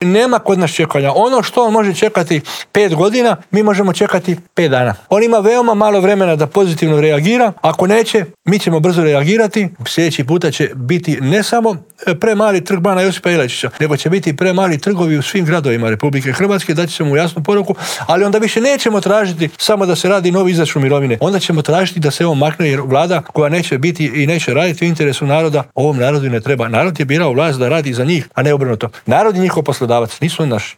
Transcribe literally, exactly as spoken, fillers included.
Nema kod nas čekanja. Ono što on može čekati pet godina, mi možemo čekati pet dana. On ima veoma malo vremena da pozitivno reagira. Ako neće, mi ćemo brzo reagirati. Sljedeći puta će biti ne samo premali trg bana Josipa Jelačića, nego će biti premali trgovi u svim gradovima Republike Hrvatske, daći ćemo mu jasnu poruku, ali onda više nećemo tražiti samo da se radi novi izračun mirovine. Onda ćemo tražiti da se on makne, jer vlada koja neće biti i neće raditi u interesu naroda, ovom narodu ne treba. Narod je birao vlast da radi za njih, a ne obrnuto. Narod je njihov poslodavac, nisu oni naši.